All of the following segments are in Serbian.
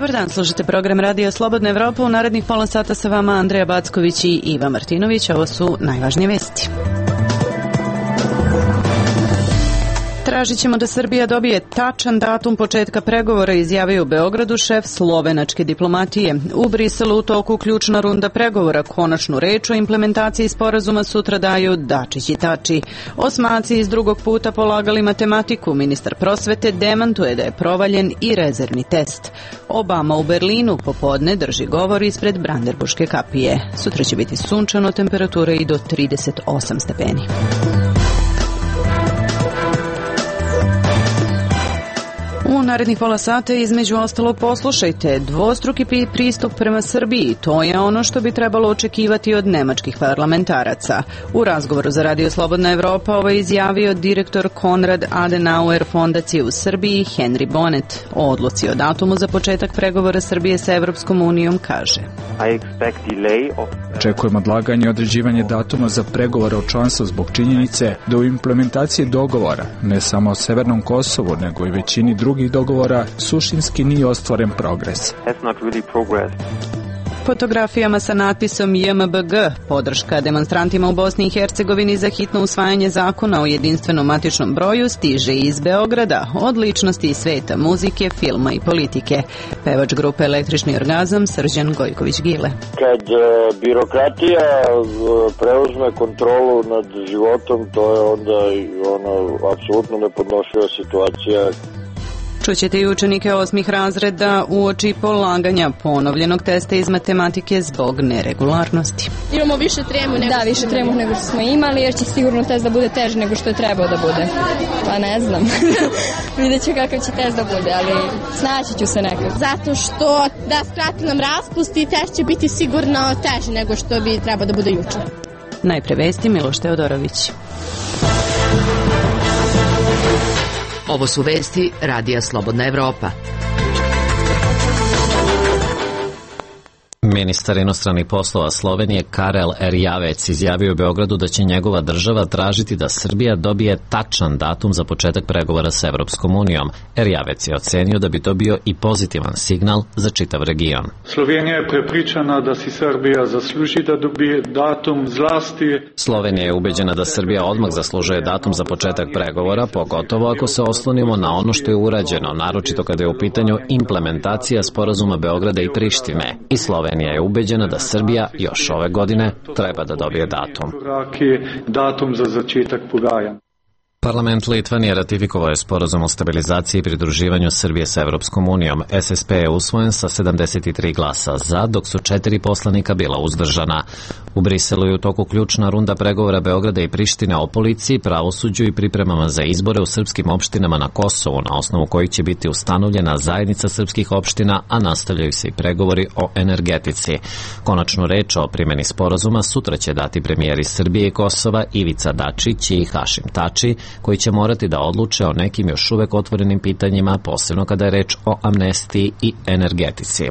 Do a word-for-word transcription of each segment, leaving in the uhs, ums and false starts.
Dobar dan, slušate program Radio Slobodna Evropa. U narednih pola sata sa vama Andreja Backović i Iva Martinović. Ovo su najvažnije vesti. Tražit ćemo da Srbija dobije tačan datum početka pregovora, izjavio u Beogradu šef slovenačke diplomatije. U Briselu u toku ključna runda pregovora. Konačnu reč o implementaciji sporazuma sutra daju Dačić i Tači. Osmaci iz drugog puta polagali matematiku. Ministar prosvete demantuje da je provaljen i rezervni test. Obama u Berlinu popodne drži govor ispred Brandenburške kapije. Sutra će biti sunčano, temperature i do trideset osam stepeni. U narednih pola sata između ostalog poslušajte dvostruki pristup prema Srbiji. To je ono što bi trebalo očekivati od nemačkih parlamentaraca. U razgovoru za Radio Slobodna Evropa ovo je izjavio direktor Konrad Adenauer fondacije u Srbiji Henry Bonnet. O odluci o datumu za početak pregovora Srbije sa Evropskom unijom kaže: Očekujem odlaganje i određivanje datuma za pregovore o članstvu zbog činjenice da u implementaciji dogovora, ne samo o Severnom Kosovu, nego i većini drugih dogovora, suštinski nije ostvaren progres. Fotografijama sa natpisom J M B G, podrška demonstrantima u Bosni i Hercegovini za hitno usvajanje zakona o jedinstvenom matičnom broju, stiže iz Beograda od ličnosti iz sveta muzike, filma i politike. Pevač grupe Električni orgazam Srđan Gojković-Gile. Kad birokratija preuzme kontrolu nad životom, to je onda ono apsolutno nepodnošljiva situacija. Čućete i učenike osmih razreda uoči polaganja ponovljenog testa iz matematike zbog neregularnosti. Imamo više tremu nego Da, više tremu nego što smo imali, jer će sigurno test da bude teži nego što je trebao da bude. Pa ne znam. Vidjet ću kakav će test da bude, ali snaći ću se nekako. Zato što da skrati nam raspust i test će biti sigurno teži nego što bi trebao da bude juče. Najpre vesti, Miloš Teodorović. Ovo su vesti Radija Slobodna Evropa. Ministar inostranih poslova Slovenije Karel Erjavec izjavio u Beogradu da će njegova država tražiti da Srbija dobije tačan datum za početak pregovora sa Evropskom unijom. Erjavec je ocenio da bi to bio i pozitivan signal za čitav region. Slovenija je prepričana da si Srbija zasluži da dobije datum zlasti. Slovenija je ubeđena da Srbija odmah zaslužuje datum za početak pregovora, pogotovo ako se oslonimo na ono što je urađeno, naročito kada je u pitanju implementacija sporazuma Beograda i Prištine. I Slovenija je ubeđena da Srbija još ove godine treba da dobije datum. Datum za začetak pogajanja. Parlament Litvanije ratifikovao je sporazum o stabilizaciji i pridruživanju Srbije sa Evropskom unijom. S S P je usvojen sa sedamdeset tri glasa za, dok su četiri poslanika bila uzdržana. U Briselu je u toku ključna runda pregovora Beograda i Prištine o policiji, pravosuđu i pripremama za izbore u srpskim opštinama na Kosovu, na osnovu kojih će biti ustanovljena zajednica srpskih opština, a nastavljaju se i pregovori o energetici. Konačnu reč o primjeni sporazuma sutra će dati premijeri Srbije i Kosova Ivica Dačić i Hašim Tači, koji će morati da odluče o nekim još uvek otvorenim pitanjima, posebno kada je reč o amnestiji i energetici.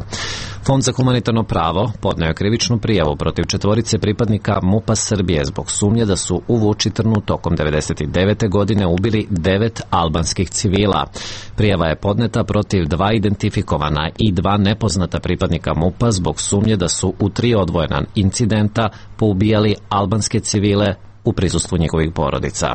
Fond za humanitarno pravo podneo je krivičnu prijavu protiv četvorice pripadnika MUP-a Srbije zbog sumnje da su u Vučitrnu tokom devedeset devete godine ubili devet albanskih civila. Prijava je podneta protiv dva identifikovana i dva nepoznata pripadnika MUP-a zbog sumnje da su u tri odvojena incidenta poubijali albanske civile u prisustvu njihovih porodica.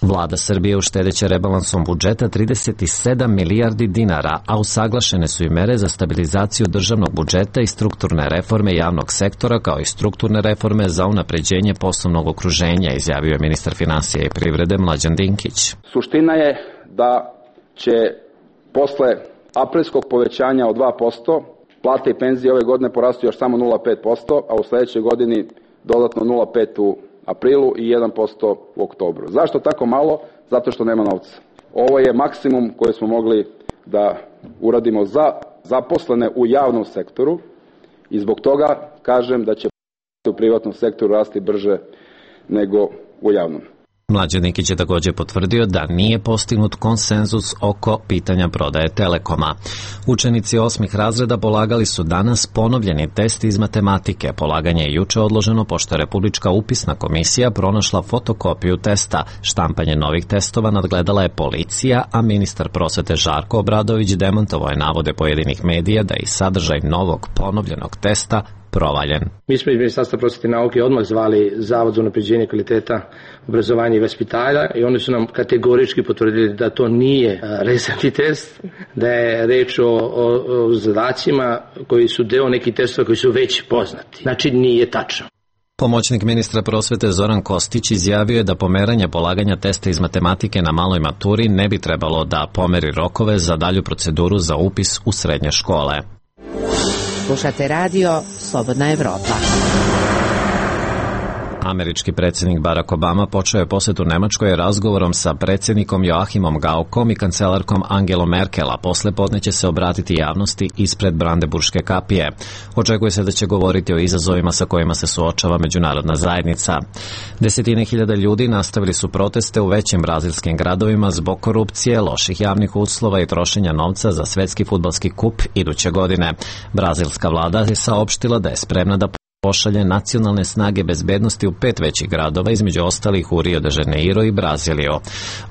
Vlada Srbije uštedeće rebalansom budžeta trideset sedam milijardi dinara, a usaglašene su i mere za stabilizaciju državnog budžeta i strukturne reforme javnog sektora, kao i strukturne reforme za unapređenje poslovnog okruženja, izjavio je ministar finansija i privrede Mlađan Dinkić. Suština je da će posle aprilskog povećanja od dva posto plate i penzije ove godine porasti još samo nula zarez pet posto, a u sledećoj godini dodatno nula zarez pet u aprilu i jedan posto u oktobru. Zašto tako malo? Zato što nema novca. Ovo je maksimum koji smo mogli da uradimo za zaposlene u javnom sektoru i zbog toga kažem da će u privatnom sektoru rasti brže nego u javnom. Mlađan Nikić je također potvrdio da nije postignut konsenzus oko pitanja prodaje Telekoma. Učenici osmih razreda polagali su danas ponovljeni test iz matematike. Polaganje je juče odloženo pošto je Republička upisna komisija pronašla fotokopiju testa. Štampanje novih testova nadgledala je policija, a ministar prosvete Žarko Obradović demantovao je navode pojedinih medija da je sadržaj novog ponovljenog testa provaljen. Mi smo iz Ministarstva prosvete i nauke odmah zvali Zavod za unapređenje kvaliteta obrazovanja i vaspitanja i oni su nam kategorički potvrdili da to nije rezervni test, da je reč o, o, o zadacima koji su deo nekih testova koji su već poznati. Znači nije tačno. Pomoćnik ministra prosvete Zoran Kostić izjavio je da pomeranje polaganja testa iz matematike na maloj maturi ne bi trebalo da pomeri rokove za dalju proceduru za upis u srednje škole. Slušate radio Slobodna Evropa. Američki predsjednik Barack Obama počeo je posjetu Nemačkoj razgovorom sa predsjednikom Joachimom Gaukom i kancelarkom Angelom Merkel, a posle podne će se obratiti javnosti ispred Brandenburške kapije. Očekuje se da će govoriti o izazovima sa kojima se suočava međunarodna zajednica. Desetine hiljada ljudi nastavili su proteste u većim brazilskim gradovima zbog korupcije, loših javnih uslova i trošenja novca za svetski fudbalski kup iduće godine. Brazilska vlada je saopštila da je spremna da pošalje nacionalne snage bezbednosti u pet većih gradova, između ostalih u Rio de Janeiro i Braziliju.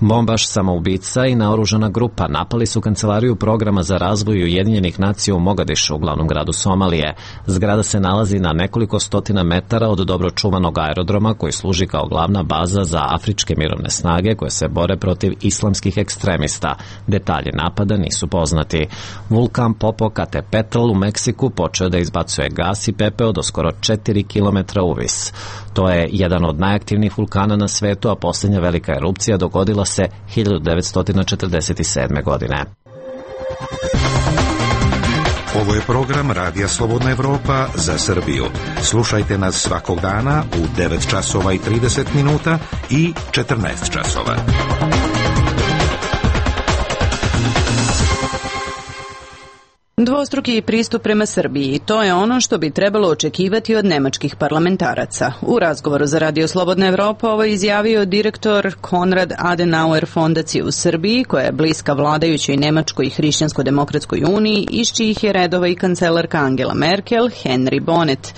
Bombaš, samoubica i naoružana grupa napali su kancelariju programa za razvoj Ujedinjenih nacija u Mogadišu, u glavnom gradu Somalije. Zgrada se nalazi na nekoliko stotina metara od dobro čuvanog aerodroma koji služi kao glavna baza za afričke mirovne snage koje se bore protiv islamskih ekstremista. Detalji napada nisu poznati. Vulkan Popocatépetl u Meksiku počeo da izbacuje gas i pepeo do skoro četiri kilometra uvis. To je jedan od najaktivnijih vulkana na svetu, a posljednja velika erupcija dogodila se hiljadu devetsto četrdeset sedme. godine. Ovo je program Radija Slobodna Evropa za Srbiju. Slušajte nas svakog dana u devet časova i trideset minuta i četrnaest časova. Dvostruki pristup prema Srbiji, to je ono što bi trebalo očekivati od nemačkih parlamentaraca. U razgovoru za Radio Slobodna Evropa ovo je izjavio direktor Konrad Adenauer fondacije u Srbiji, koja je bliska vladajućoj Nemačkoj i Hrišćansko-demokratskoj uniji, iz čijih je redova i kancelarka Angela Merkel, Henry Bonnet.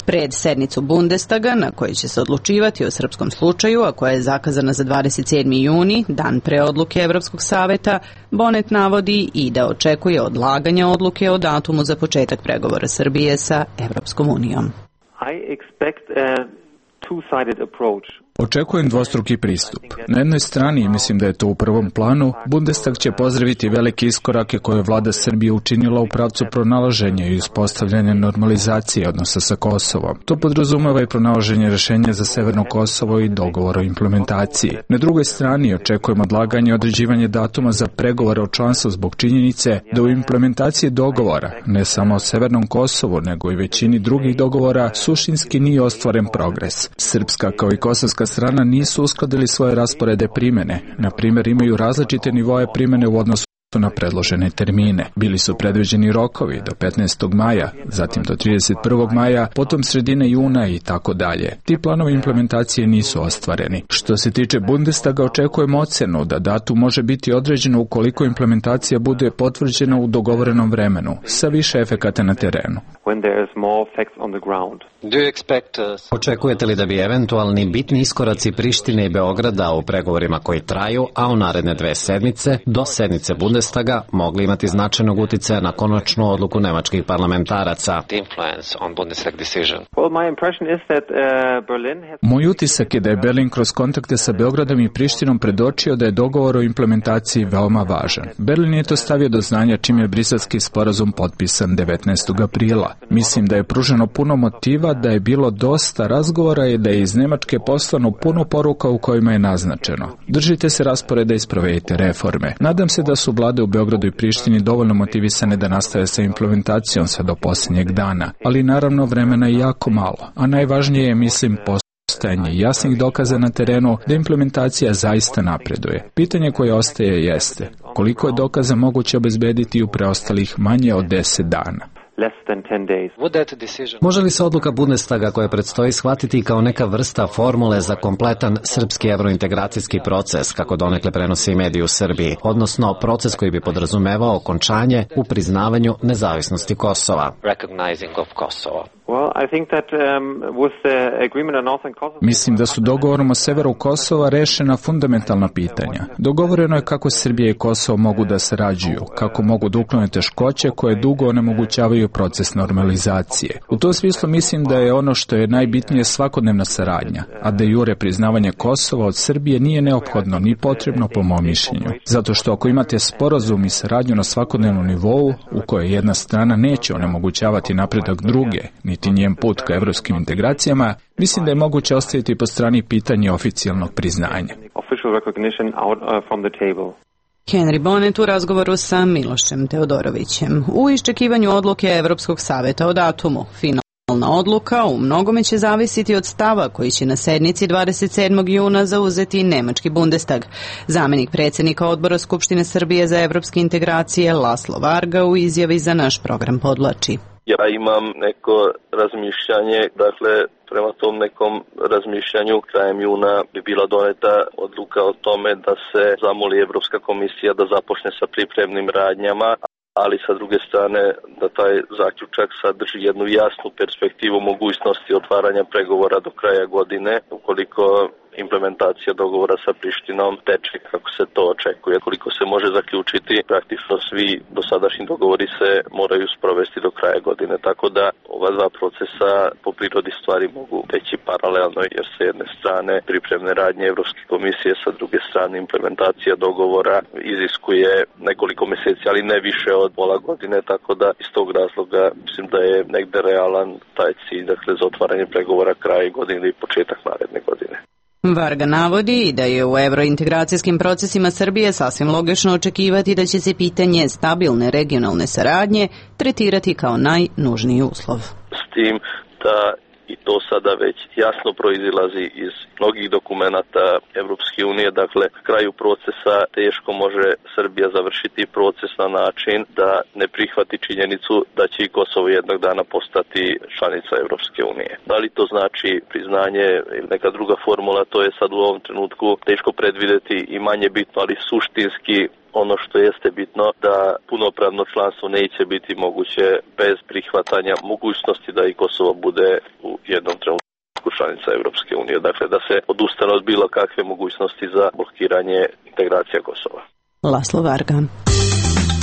Pred sednicu Bundestaga, na kojoj će se odlučivati o srpskom slučaju, a koja je zakazana za dvadeset sedmi juni, dan pre odluke Evropskog saveta, Bonnet navodi i da očekuje odlaganje odluke o datumu za početak pregovora Srbije sa Evropskom unijom. I expect a two-sided approach. Očekujem dvostruki pristup. Na jednoj strani, mislim da je to u prvom planu, Bundestag će pozdraviti velike iskorake koje je vlada Srbije učinila u pravcu pronalaženja i uspostavljanja normalizacije odnosa sa Kosovom. To podrazumeva i pronalaženje rešenja za Severno Kosovo i dogovor o implementaciji. Na drugoj strani očekujem odlaganje i određivanje datuma za pregovore o članstvu zbog činjenice da u implementaciji dogovora, ne samo o Severnom Kosovu, nego i većini drugih dogovora, suštinski nije ostvaren progres. Srpska kao i kosovska strana nisu uskladili svoje rasporede primene. Na primjer, imaju različite nivoje primene u odnosu na predložene termine. Bili su predviđeni rokovi do petnaestog maja, zatim do trideset prvog maja, potom sredine juna i tako dalje. Ti planovi implementacije nisu ostvareni. Što se tiče Bundestaga, očekujemo ocenu da datum može biti određeno ukoliko implementacija bude potvrđena u dogovorenom vremenu, sa više efekata na terenu. Očekujete li da bi eventualni bitni iskoraci Prištine i Beograda u pregovorima koji traju, a u naredne dve sedmice, do sednice Bundestaga, mogli imati značajnog uticaja na konačnu odluku nemačkih parlamentaraca? Moj utisak je da je Berlin kroz kontakte sa Beogradom i Prištinom predočio da je dogovor o implementaciji veoma važan. Berlin je to stavio do znanja čim je briselski sporazum potpisan devetnaestog aprila. Mislim da je pruženo puno motiva, da je bilo dosta razgovora i da je iz Nemačke poslano puno poruka u kojima je naznačeno: držite se rasporeda i sprovedite reforme. Nadam se da su vlade u Beogradu i Prištini dovoljno motivisane da nastave sa implementacijom sve do posljednjeg dana, ali naravno vremena je jako malo, a najvažnije je, mislim, postojanje jasnih dokaza na terenu da implementacija zaista napreduje. Pitanje koje ostaje jeste: koliko je dokaza moguće obezbediti u preostalih manje od deset dana? less than ten days. Može li se odluka Bundestaga koja predstoji shvatiti kao neka vrsta formule za kompletan srpski evrointegracijski proces, kako donekle prenosi i mediji u Srbiji, odnosno proces koji bi podrazumevao okončanje u priznavanju nezavisnosti Kosova? Mislim da su dogovorom o severu Kosova rešena fundamentalna pitanja. Dogovoreno je kako Srbija i Kosovo mogu da sarađuju, kako mogu da uklone teškoće koje dugo onemogućavaju proces normalizacije. U tom smislu mislim da je ono što je najbitnije svakodnevna saradnja, a de jure priznavanje Kosova od Srbije nije neophodno ni potrebno po mom mišljenju. Zato što ako imate sporazum i saradnju na svakodnevnom nivou, u kojoj jedna strana neće onemogućavati napredak druge, niti njen put ka evropskim integracijama, mislim da je moguće ostaviti po strani pitanje oficijalnog priznanja. Henry Bonnet u razgovoru sa Milošem Teodorovićem. U iščekivanju odluke Evropskog saveta o datumu. Finalna odluka u mnogome će zavisiti od stava koji će na sednici dvadeset sedmog juna zauzeti nemački Bundestag. Zamenik predsjednika odbora Skupštine Srbije za evropske integracije Laslo Varga u izjavi za naš program podvlači. Ja imam neko razmišljanje, dakle prema tom nekom razmišljanju krajem juna bi bila doneta odluka o tome da se zamoli Evropska komisija da započne sa pripremnim radnjama, ali sa druge strane da taj zaključak sadrži jednu jasnu perspektivu mogućnosti otvaranja pregovora do kraja godine, ukoliko implementacija dogovora sa Prištinom teče kako se to očekuje. Koliko se može zaključiti, praktično svi dosadašnji dogovori se moraju sprovesti do kraja godine, tako da ova dva procesa po prirodi stvari mogu teći paralelno, jer sa jedne strane pripremne radnje Evropske komisije, sa druge strane implementacija dogovora iziskuje nekoliko meseci, ali ne više od pola godine, tako da iz tog razloga mislim da je negde realan taj cilj, dakle za otvaranje pregovora kraja godine ili početak naredne godine. Varga navodi da je u evrointegracijskim procesima Srbije sasvim logično očekivati da će se pitanje stabilne regionalne saradnje tretirati kao najnužniji uslov. S tim da i to sada već jasno proizilazi iz mnogih dokumenata Evropske unije, dakle kraju procesa teško može Srbija završiti proces na način da ne prihvati činjenicu da će i Kosovo jednog dana postati članica Evropske unije. Da li to znači priznanje ili neka druga formula, to je sad u ovom trenutku teško predvideti i manje bitno, ali suštinski ono što jeste bitno da punopravno članstvo neće biti moguće bez prihvatanja mogućnosti da i Kosovo bude u jednom trenutku članica Evropske unije. Dakle, da se odustane od bilo kakve mogućnosti za blokiranje integracija Kosova. Laslo Varga.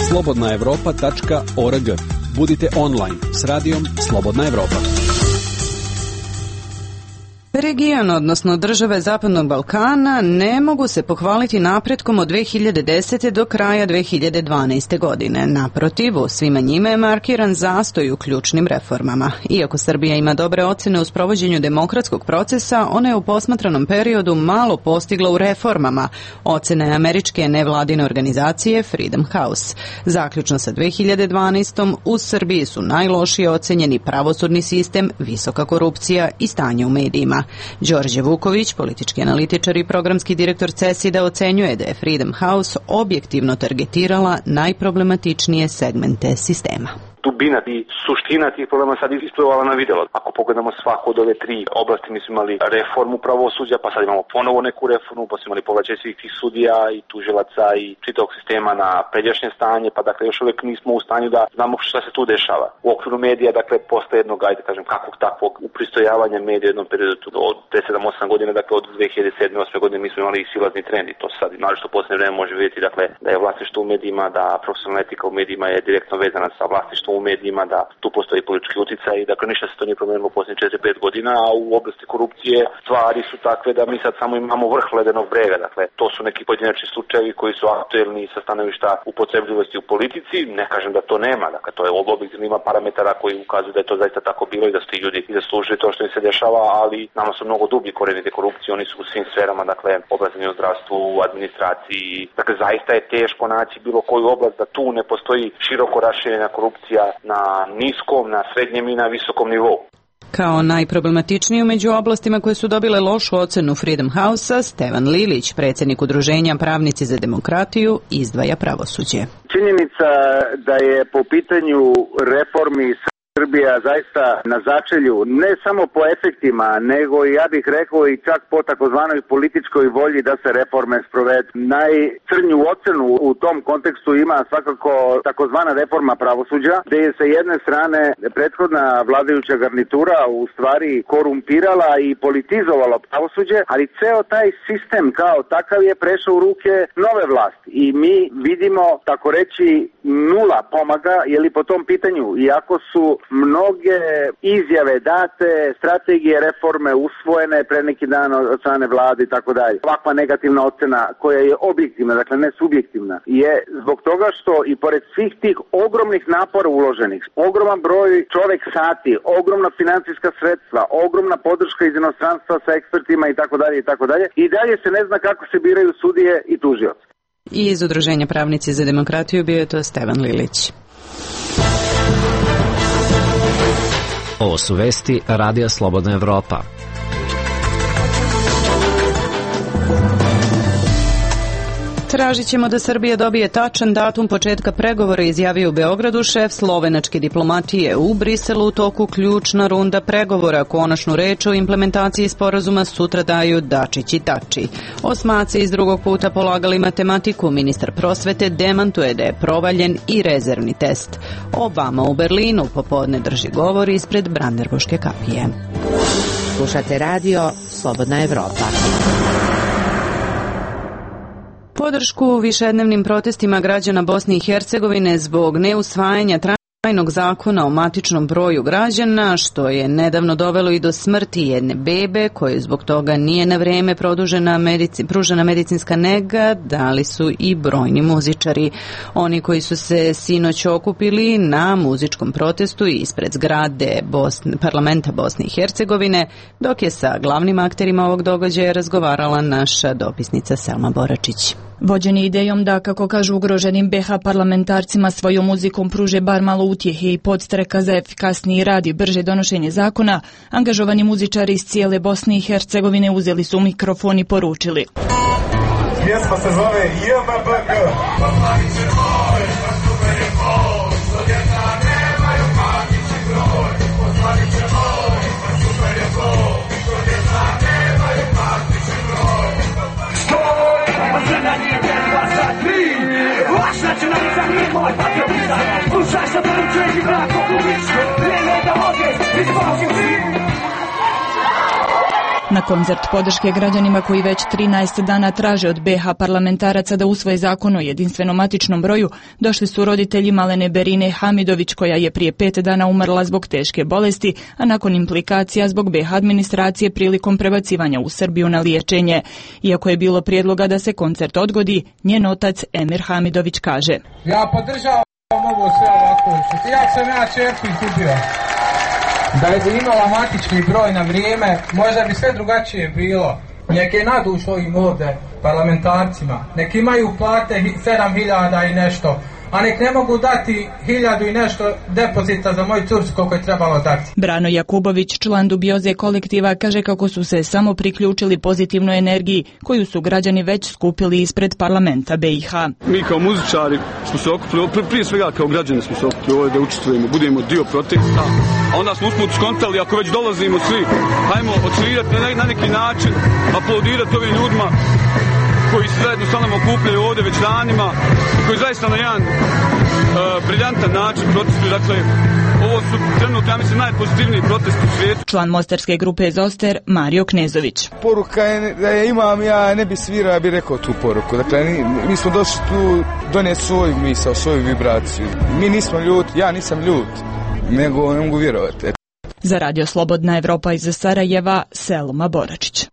slobodna evropa tačka org. Budite online s radijom Slobodna Evropa. Region, odnosno države Zapadnog Balkana, ne mogu se pohvaliti napretkom od dve hiljade desete do kraja dve hiljade dvanaeste. godine. Naprotiv, u svima njima je markiran zastoj u ključnim reformama. Iako Srbija ima dobre ocene u sprovođenju demokratskog procesa, ona je u posmatranom periodu malo postigla u reformama. Ocena je američke nevladine organizacije Freedom House. Zaključno sa dve hiljade dvanaestom. u Srbiji su najlošije ocenjeni pravosudni sistem, visoka korupcija i stanje u medijima. Đorđe Vuković, politički analitičar i programski direktor CESID-a, ocenjuje da je Freedom House objektivno targetirala najproblematičnije segmente sistema. Dubina i suština tih problema sad isplivala na videlo. Ako pogledamo svaku od ove tri oblasti, mi smo imali reformu pravosuđa, pa sad imamo ponovo neku reformu, pa smo imali povraćaj svih tih sudija i tužilaca i čitavog sistema na pređašnje stanje, pa dakle još uvek nismo u stanju da znamo šta se tu dešava. U okviru medija, dakle, posle jednog, ajde kažem, kakvog takvog upristojavanja medija u jednom periodu od sedam osam godina, dakle od dve hiljade sedme osme. godine mi smo imali i silazni trend i to sad, naravno u poslednje vreme može vidjeti, dakle, da je vlasništvo u medijima, da profesionalna etika u medijima je direktno vezana sa vlasništvom u medijima, da tu postoji politički uticaj i dakle ništa se to nije promenilo u posljednjih četiri pet godina, a u oblasti korupcije stvari su takve da mi sad samo imamo vrh ledenog brega. Dakle, to su neki pojedinačni slučajevi koji su aktuelni sa stanovišta upotrebljivosti u politici. Ne kažem da to nema, dakle to je objektivno, ima parametara koji ukazuju da je to zaista tako bilo i da su ti ljudi i zaslužili to što im se dešava, ali nama su mnogo dublji koreni te korupcije, oni su u svim sferama, dakle obrazovanju, zdravstvu, administraciji. Dakle, zaista je teško naći bilo koju oblast da tu ne postoji široko raširena korupcija na niskom, na srednjem i na visokom nivou. Kao najproblematičniju među oblastima koje su dobile lošu ocenu Freedom House-a, Stevan Lilić, predsjednik udruženja Pravnici za demokratiju, izdvaja pravosuđe. Činjenica da je po pitanju reformi Srbija zaista na začelju, ne samo po efektima, nego i ja bih rekao i čak po takozvanoj političkoj volji da se reforme sprovedu. Najcrnju ocenu u tom kontekstu ima svakako takozvana reforma pravosuđa, gdje je sa jedne strane prethodna vladajuća garnitura u stvari korumpirala i politizovala pravosuđe, ali ceo taj sistem kao takav je prešao u ruke nove vlasti. I mi vidimo, tako reći, nula pomaga, je li po tom pitanju, iako su mnoge izjave date, strategije reforme usvojene pre neki dan od strane vlade i tako dalje. Ovakva negativna ocena koja je objektivna, dakle ne subjektivna, je zbog toga što i pored svih tih ogromnih napora uloženih, ogroman broj čovek sati, ogromna financijska sredstva, ogromna podrška iz inostranstva sa ekspertima i tako dalje i tako dalje, i dalje se ne zna kako se biraju sudije i tužioci. I iz udruženja Pravnici za demokratiju bio je to Stevan Lilić. Ovo su vesti Radija Slobodna Evropa. Tražit ćemo da Srbija dobije tačan datum početka pregovora, izjavio u Beogradu šef slovenačke diplomatije. U Briselu u toku ključna runda pregovora. Konačnu reč o implementaciji sporazuma sutra daju Dačić i Tači. Osmaci iz drugog puta polagali matematiku. Ministar prosvete demantuje da je provaljen i rezervni test. Obama u Berlinu popodne drži govor ispred Brandenburške kapije. Slušate radio Slobodna Evropa. Podršku višednevnim protestima građana Bosne i Hercegovine zbog neusvajanja trajnog zakona o matičnom broju građana, što je nedavno dovelo i do smrti jedne bebe, kojoj zbog toga nije na vreme produžena medici, pružena medicinska nega, dali su i brojni muzičari. Oni koji su se sinoć okupili na muzičkom protestu ispred zgrade Bosne, parlamenta Bosne i Hercegovine, dok je sa glavnim akterima ovog događaja razgovarala naša dopisnica Selma Boračić. Vođeni idejom da, kako kažu, ugroženim be ha parlamentarcima svojom muzikom pruže bar malo utjehe i podstreka za efikasniji rad i brže donošenje zakona, angažovani muzičari iz cijele Bosne i Hercegovine uzeli su mikrofon i poručili. Pjesma se zove J M B G. Na koncert podrške građanima koji već trinaest dana traže od be ha parlamentaraca da usvoje zakon o jedinstvenom matičnom broju, došli su roditelji malene Berine Hamidović, koja je prije pet dana umrla zbog teške bolesti, a nakon implikacija zbog be ha administracije prilikom prebacivanja u Srbiju na liječenje. Iako je bilo prijedloga da se koncert odgodi, njen otac Emir Hamidović kaže: Ja podržavam ovo sve ovako, ja sam ja čerku izgubio. Da je imala matični broj na vrijeme, možda bi sve drugačije bilo. Nek je naduš ovim ovdje parlamentarcima, nek imaju plate sedam hiljada i nešto, a nek ne mogu dati hiljadu i nešto depozita za moju curcu koliko je trebalo dati. Brano Jakubović, član dubioze kolektiva, kaže kako su se samo priključili pozitivnoj energiji koju su građani već skupili ispred parlamenta be i ha. Mi kao muzičari smo se okupili, prije svega kao građani smo se okupili ovdje da učestvujemo, budemo dio protesta, a onda smo usput skontali, ako već dolazimo svi, hajmo odsvirati na, na neki način, aplaudirati ovim ljudima koji se zajedno sa nama okupljaju ovdje već danima, koji zaista na jedan uh, briljantan način protestuju. Dakle, ovo su trenutno, ja mislim, najpozitivniji protest u svijetu. Član mostarske grupe Zoster, Mario Knezović. Poruka je da je imam, ja ne bi svirao, ja bih rekao tu poruku. Dakle, mi smo došli tu donijeti svoju misao, svoju vibraciju. Mi nismo ljuti, ja nisam ljut, nego ne mogu vjerovati. Za Radio Slobodna Evropa iz Sarajeva, Selma Boračić.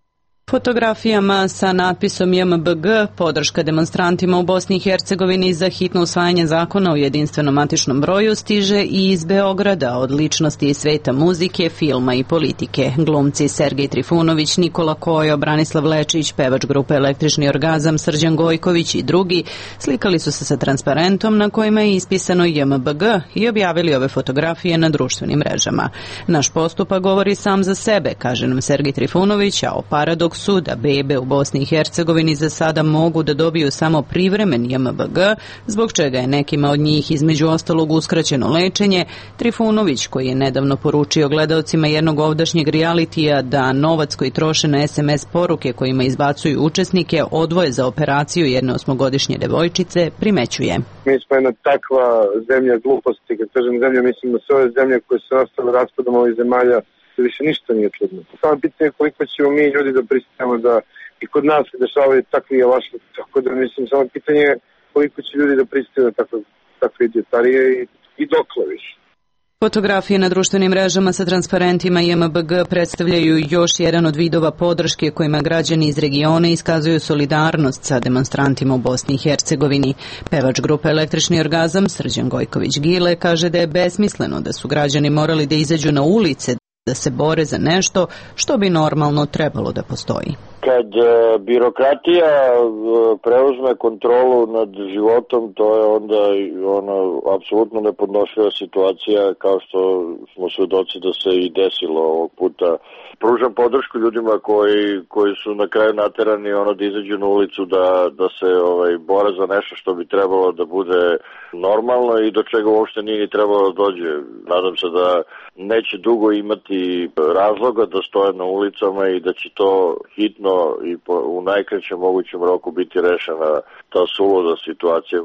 Fotografijama sa natpisom J M B G, podrška demonstrantima u Bosni i Hercegovini za hitno usvajanje zakona o jedinstvenom matičnom broju stiže i iz Beograda od ličnosti iz sveta muzike, filma i politike. Glumci Sergej Trifunović, Nikola Kojo, Branislav Lečić, pevač grupe Električni orgazam, Srđan Gojković i drugi slikali su se sa transparentom na kojima je ispisano J M B G i objavili ove fotografije na društvenim mrežama. Naš postupak govori sam za sebe, kaže nam Sergej Trifunović, a o paradoksu su da bebe u Bosni i Hercegovini za sada mogu da dobiju samo privremen J M B G, zbog čega je nekima od njih između ostalog uskraćeno lečenje. Trifunović, koji je nedavno poručio gledaocima jednog ovdašnjeg realitija da novac koji troše na S M S poruke kojima izbacuju učesnike odvoje za operaciju jedne osmogodišnje devojčice, primećuje. Mi smo jedna takva zemlja gluposti, kad kažem zemlja, mislim da sve ove zemlje koje su nastale raspadom ovih zemalja, više ništa nije čudno. Samo pitanje je koliko ćemo mi ljudi da pristajemo da i kod nas se dešavaju takvi javašli, tako da mislim, samo pitanje je koliko će ljudi da pristaju na takve, takve idiotarije i, i dokle više. Fotografije na društvenim mrežama sa transparentima J M B G predstavljaju još jedan od vidova podrške kojima građani iz regiona iskazuju solidarnost sa demonstrantima u Bosni i Hercegovini. Pevač grupe Električni orgazam Srđan Gojković-Gile kaže da je besmisleno da su građani morali da izađu na ulice da se bore za nešto što bi normalno trebalo da postoji. Kad e, birokratija e, preuzme kontrolu nad životom, to je onda ono apsolutno nepodnošljiva situacija, kao što smo svedoci da se i desilo ovog puta. Pružam podršku ljudima koji, koji su na kraju naterani ono da izađu na ulicu da, da se ovaj, bore za nešto što bi trebalo da bude normalno i do čega uopšte nije ni trebalo da dođe. Nadam se da neće dugo imati razloga da stoje na ulicama i da će to hitno i po, u najkraćem mogućem roku biti rešena ta suluda situacija.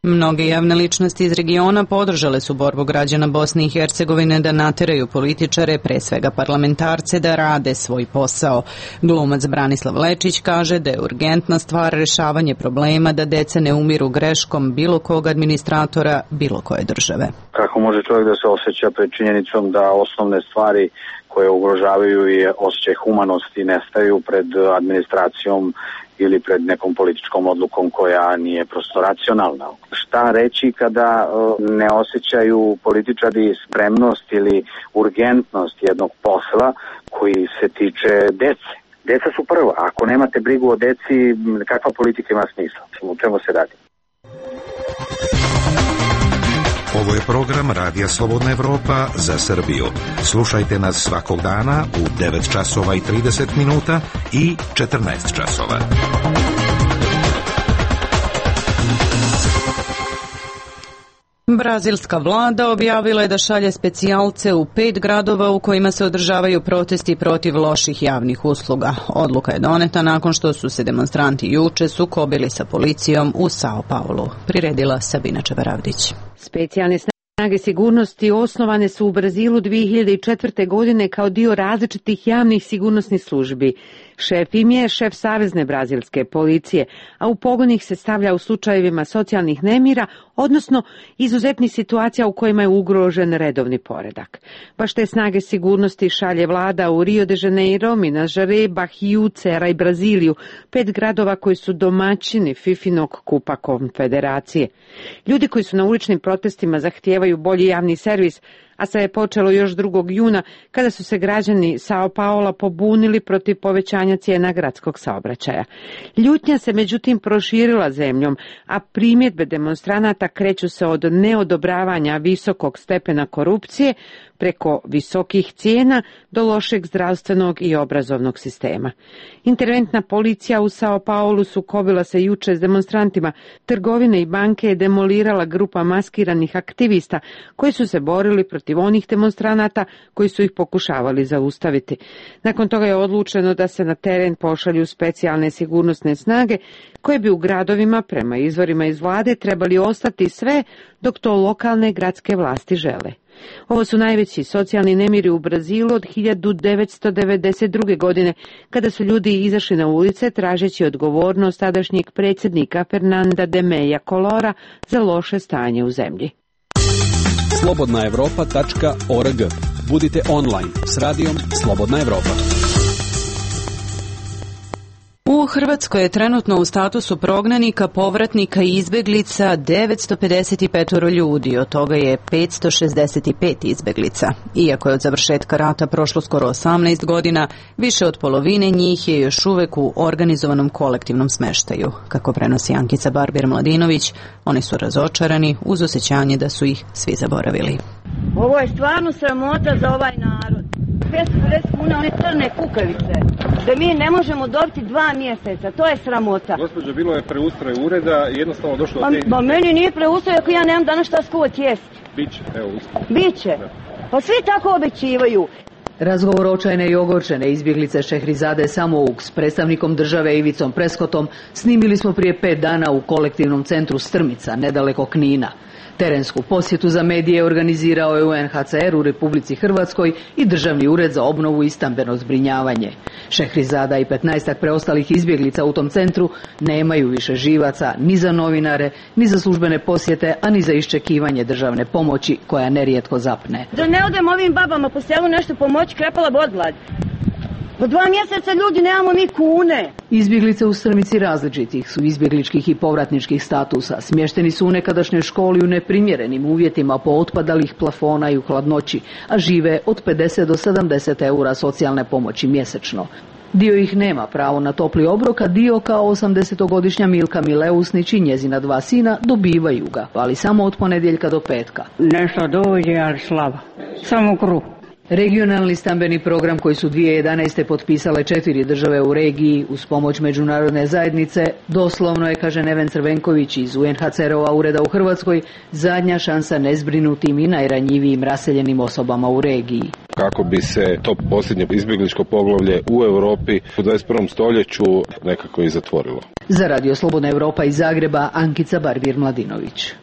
Mnoge javne ličnosti iz regiona podržale su borbu građana Bosne i Hercegovine da nateraju političare, pre svega parlamentarce, da rade svoj posao. Glumac Branislav Lečić kaže da je urgentna stvar rešavanje problema, da deca ne umiru greškom bilo kog administratora, bilo koje države. Kako može čovjek da se osjeća pred činjenicom da osnovne stvari koje ugrožavaju i osjećaj humanosti nestaju pred administracijom ili pred nekom političkom odlukom koja nije prosto racionalna. Šta reći kada ne osjećaju političari spremnost ili urgentnost jednog posla koji se tiče dece? Deca su prva. Ako nemate brigu o deci, kakva politika ima smisla? U čemu se radi? Ovo je program Radija Slobodna Evropa za Srbiju. Slušajte nas svakog dana u devet časova i trideset minuta i četrnaest časova. Brazilska vlada objavila je da šalje specijalce u pet gradova u kojima se održavaju protesti protiv loših javnih usluga. Odluka je doneta nakon što su se demonstranti juče sukobili sa policijom u Sao Paulu. Priredila Sabina Čevaravdić. Specijalne snage sigurnosti osnovane su u Brazilu dvije hiljade četvrte. godine kao dio različitih javnih sigurnosnih službi. Šef im je šef Savezne brazilske policije, a u pogon ih se stavlja u slučajevima socijalnih nemira, odnosno izuzetnih situacija u kojima je ugrožen redovni poredak. Baš te snage sigurnosti šalje vlada u Rio de Janeiro, Minas Gerais, Bahiju, Ceará i Braziliju, pet gradova koji su domaćini Fifinog kupa konfederacije. Ljudi koji su na uličnim protestima zahtijevaju bolji javni servis, a sve je počelo još drugog juna kada su se građani Sao Paula pobunili protiv povećanja cijena gradskog saobraćaja. Ljutnja se međutim proširila zemljom, a primjedbe demonstranata kreću se od neodobravanja visokog stepena korupcije preko visokih cijena do lošeg zdravstvenog i obrazovnog sistema. Interventna policija u Sao Paulu sukobila se juče s demonstrantima. Trgovine i banke je demolirala grupa maskiranih aktivista koji su se borili protiv onih demonstranata koji su ih pokušavali zaustaviti. Nakon toga je odlučeno da se na teren pošalju specijalne sigurnosne snage koje bi u gradovima, prema izvorima iz vlade, trebali ostati sve dok to lokalne gradske vlasti žele. Ovo su najveći socijalni nemiri u Brazilu od hiljadu devetsto devedeset druge. godine, kada su ljudi izašli na ulice tražeći odgovornost tadašnjeg predsjednika Fernanda de Meja Colora za loše stanje u zemlji. slobodna evropa tačka org. Budite online s radijom Slobodna Evropa. U Hrvatskoj je trenutno u statusu prognanika, povratnika i izbeglica devetsto pedeset pet ljudi, od toga je petsto šezdeset pet izbeglica. Iako je od završetka rata prošlo skoro osamnaest godina, više od polovine njih je još uvek u organizovanom kolektivnom smeštaju. Kako prenosi Ankica Barbir-Mladinović, oni su razočarani uz osjećanje da su ih svi zaboravili. Ovo je stvarno sramota za ovaj narod. petsto pedeset kuna, one crne kukavice, da mi ne možemo dobiti dva mjeseca, to je sramota. Gospođo, bilo je preustroj ureda i jednostavno došlo do tehničke. Ba meni nije preustroj ako ja nemam danas šta skuvat jesti. Biće, evo uspio. Biće. Pa svi tako obećivaju. Razgovor očajne i ogorčene izbjeglice Šehrizade Samouk s predstavnikom države Ivicom Preskotom snimili smo prije pet dana u kolektivnom centru Strmica, nedaleko Knina. Terensku posjetu za medije organizirao je U N H C R u Republici Hrvatskoj i Državni ured za obnovu i stambeno zbrinjavanje. Šehrizada i petnaestak preostalih izbjeglica u tom centru nemaju više živaca ni za novinare, ni za službene posjete, a ni za iščekivanje državne pomoći koja nerijetko zapne. Da ne odem ovim babama po selu nešto pomoći, krepala bi od gladi. Po dva mjeseca ljudi nemamo mi kune. Izbjeglice u Strmici različitih su izbjegličkih i povratničkih statusa. Smješteni su u nekadašnjoj školi u neprimjerenim uvjetima po otpadalih plafona i u hladnoći, a žive od pedeset do sedamdeset eura socijalne pomoći mjesečno. Dio ih nema pravo na topli obrok, a dio kao osamdesetogodišnja Milka Mileusnić i njezina dva sina dobivaju ga, ali samo od ponedjeljka do petka. Nešto dođe, ali slabo. Samo kruh. Regionalni stambeni program koji su dvije tisuće jedanaeste. potpisale četiri države u regiji uz pomoć međunarodne zajednice, doslovno je, kaže Neven Crvenković iz U N H C R-ova ureda u Hrvatskoj, zadnja šansa nezbrinutim i najranjivijim raseljenim osobama u regiji. Kako bi se to posljednje izbjegličko poglavlje u Europi u dvadeset prvom stoljeću nekako i zatvorilo. Za Radio Slobodna Evropa iz Zagreba, Ankica Barbir-Mladinović.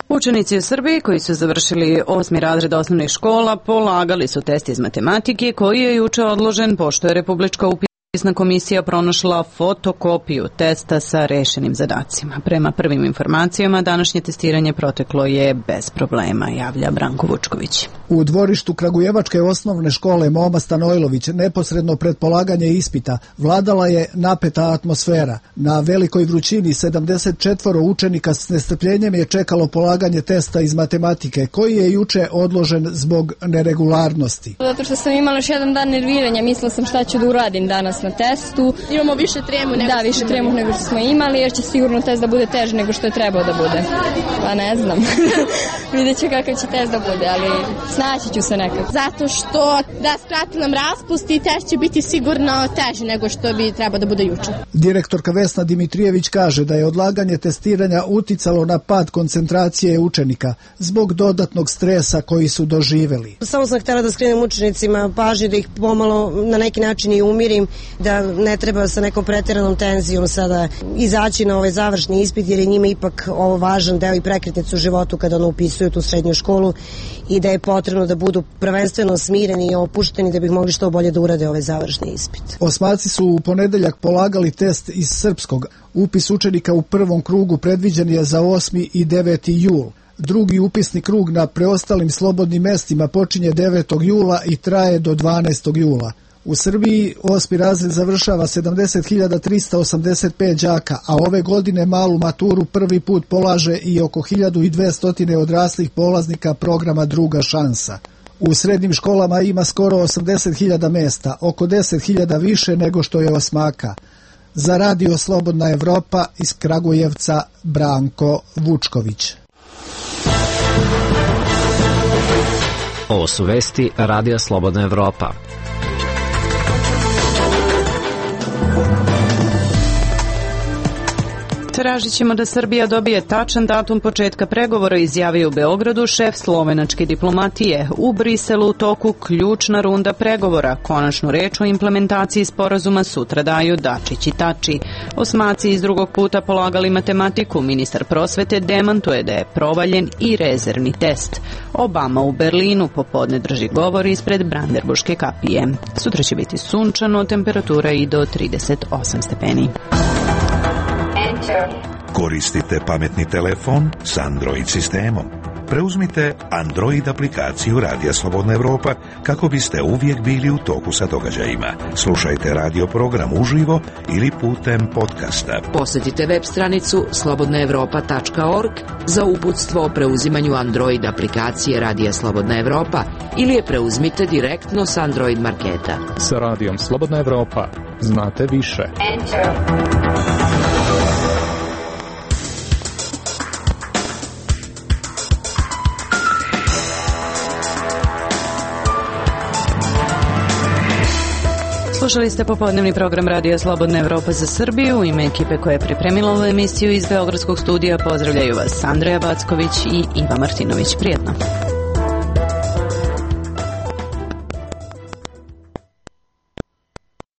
Učenici u Srbiji koji su završili osmi razred osnovnih škola polagali su test iz matematike koji je juče odložen pošto je Republička upisna komisija pronašla fotokopiju testa sa rešenim zadacima. Prema prvim informacijama današnje testiranje proteklo je bez problema, javlja Branko Vučković. U dvorištu Kragujevačke osnovne škole Moma Stanojlović neposredno pred polaganje ispita vladala je napeta atmosfera. Na velikoj vrućini sedamdeset četvoro učenika s nestrpljenjem je čekalo polaganje testa iz matematike koji je juče odložen zbog neregularnosti. Zato što sam imala još jedan dan nerviranja, mislila sam šta ću da uradim danas na testu. Imamo više tremu nego Da, više tremu nego što smo imali, jer će sigurno test da bude teži nego što je trebao da bude. Pa ne znam. Vidjet ću kakav će test da bude, ali snaći ću se nekako. Zato što da skrati nam raspust i test će biti sigurno teži nego što bi trebao da bude juče. Direktorka Vesna Dimitrijević kaže da je odlaganje testiranja uticalo na pad koncentracije učenika zbog dodatnog stresa koji su doživjeli. Samo sam htjela da skrenem učenicima pažnju, da ih pomalo na neki način i umirim, da ne treba sa nekom pretjeranom tenzijom sada izaći na ovaj završni ispit, jer je njima ipak ovo važan deo i prekretnicu u životu kada ono upisuju tu srednju školu i da je potrebno da budu prvenstveno smireni i opušteni da bi mogli što bolje da urade ovaj završni ispit. Osmaci su u ponedeljak polagali test iz srpskog. Upis učenika u prvom krugu predviđen je za osmi i deveti jul. Drugi upisni krug na preostalim slobodnim mestima počinje devetog jula i traje do dvanaestog jula. U Srbiji osmi razred završava sedamdeset hiljada trista osamdeset pet đaka, a ove godine malu maturu prvi put polaže i oko hiljadu dvesta odraslih polaznika programa Druga šansa. U srednjim školama ima skoro osamdeset hiljada mesta, oko deset hiljada više nego što je osmaka. Za Radio Slobodna Evropa iz Kragujevca, Branko Vučković. Ovo su vesti Radija Slobodna Evropa. Tražit ćemo da Srbija dobije tačan datum početka pregovora, izjavio u Beogradu šef slovenačke diplomatije. U Briselu u toku ključna runda pregovora. Konačnu reč o implementaciji sporazuma sutra daju Dačić i Tači. Osmaci iz drugog puta polagali matematiku. Ministar prosvete demantuje da je provaljen i rezervni test. Obama u Berlinu popodne drži govor ispred Brandenburške kapije. Sutra će biti sunčano, temperatura i do trideset osam stepeni. Koristite pametni telefon s Android sistemom. preuzmite Android aplikaciju Radija Slobodna Evropa kako biste uvijek bili u toku sa događajima. Slušajte radio program uživo ili putem podcasta. Posjetite web stranicu slobodna evropa tačka org za uputstvo o preuzimanju Android aplikacije Radija Slobodna Evropa ili je preuzmite direktno s Android marketa. Sa Radijom Slobodna Evropa znate više. Enter. Slušali ste popodnevni program Radija Slobodna Evropa za Srbiju. U ime ekipe koja je pripremila ovu emisiju iz Beogradskog studija pozdravljaju vas Andreja Backović i Iva Martinović. Prijetno.